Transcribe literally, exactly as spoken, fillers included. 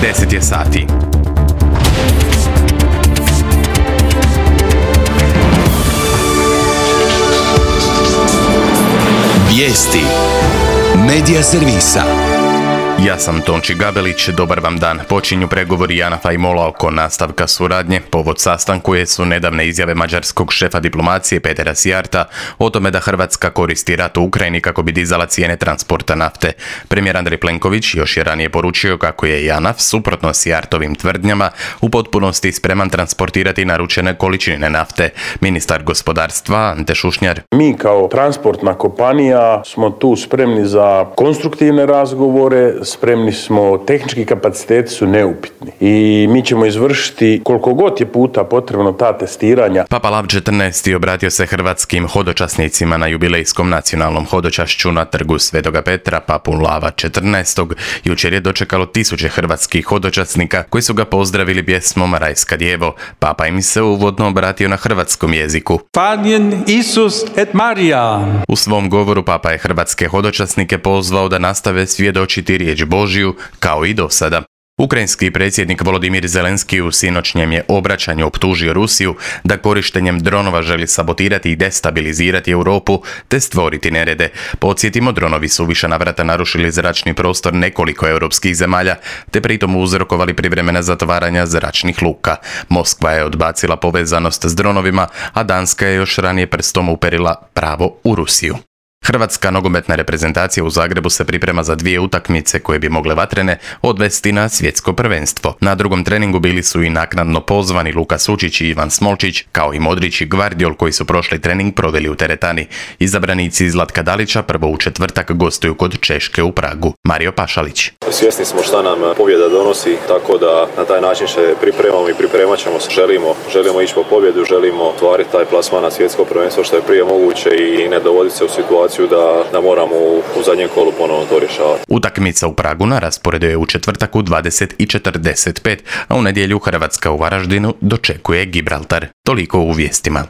deset je sati. Vijesti Medija servisa. Ja sam Tonči Gabelić, dobar vam dan. Počinju pregovori Janafa i Mola oko nastavka suradnje. Povod sastanku je su nedavne izjave mađarskog šefa diplomacije Petera Sijarta o tome da Hrvatska koristi rat u Ukrajini kako bi dizala cijene transporta nafte. Premijer Andrej Plenković još je ranije poručio kako je Janaf, suprotno Sijartovim tvrdnjama, u potpunosti spreman transportirati naručene količine nafte. Ministar gospodarstva Ante Šušnjar. Mi kao transportna kompanija smo tu spremni za konstruktivne razgovore, spremni smo, tehnički kapaciteti su neupitni i mi ćemo izvršiti koliko god je puta potrebno ta testiranja. Papa Lav četrnaesti obratio se hrvatskim hodočasnicima na jubilejskom nacionalnom hodočašću na trgu Svetoga Petra. Papu Lava četrnaestog jučer je dočekalo tisuće hrvatskih hodočasnika koji su ga pozdravili pjesmom Rajska djevo. Papa im se uvodno obratio na hrvatskom jeziku. Fanjen Isus et Marija. U svom govoru Papa je hrvatske hodočasnike pozvao da nastave svjedočiti riječ Božju kao i do sada. Ukrajinski predsjednik Volodimir Zelenski u sinoćnjem je obraćanju optužio Rusiju da korištenjem dronova želi sabotirati i destabilizirati Europu te stvoriti nerede. Podsjetimo, dronovi su više navrata narušili zračni prostor nekoliko europskih zemalja te pritom uzrokovali privremena zatvaranja zračnih luka. Moskva je odbacila povezanost s dronovima, a Danska je još ranije prstom uperila pravo u Rusiju. Hrvatska nogometna reprezentacija u Zagrebu se priprema za dvije utakmice koje bi mogle vatrene odvesti na svjetsko prvenstvo. Na drugom treningu bili su i naknadno pozvani Luka Sučić i Ivan Smolčić, kao i Modrić i Gvardiol koji su prošli trening proveli u teretani. Izabranici Zlatka Dalića prvo u četvrtak gostuju kod Češke u Pragu. Mario Pašalić. Svjesni smo šta nam pobjeda donosi, tako da na taj način se pripremamo i pripremat ćemo se. Želimo, želimo ići po pobjedu, želimo ostvariti taj plasman na svjetsko prvenstvo što je prije moguće i ne dovoditi se u situaciju Da, da moramo u, u zadnjem kolu ponovno to rješavati. Utakmica u Pragu na rasporedu je u četvrtak u dvadeset i četrdeset pet, a u nedjelju Hrvatska u Varaždinu dočekuje Gibraltar. Toliko u vijestima.